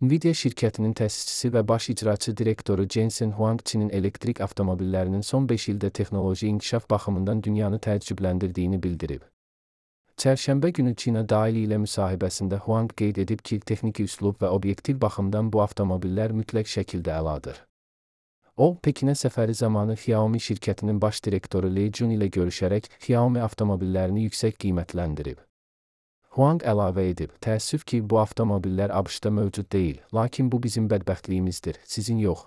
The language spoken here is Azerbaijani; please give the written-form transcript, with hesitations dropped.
Nvidia şirkətinin təsisçisi və baş icraçı direktoru Jensen Huang Çinin elektrik avtomobillərinin son 5 ildə texnoloji inkişaf baxımından dünyanı təəccübləndirdiyini bildirib. Çərşənbə günü China Daily ilə müsahibəsində Huang qeyd edib ki, texniki üslub və obyektiv baxımdan bu avtomobillər mütləq şəkildə əladır. O, Pekinə səfəri zamanı Xiaomi şirkətinin baş direktoru Lei Jun ilə görüşərək Xiaomi avtomobillərini yüksək qiymətləndirib. Huang əlavə edib, təəssüf ki, bu avtomobillər ABŞ-da mövcud deyil, lakin bu bizim bədbəxtliyimizdir, sizin yox.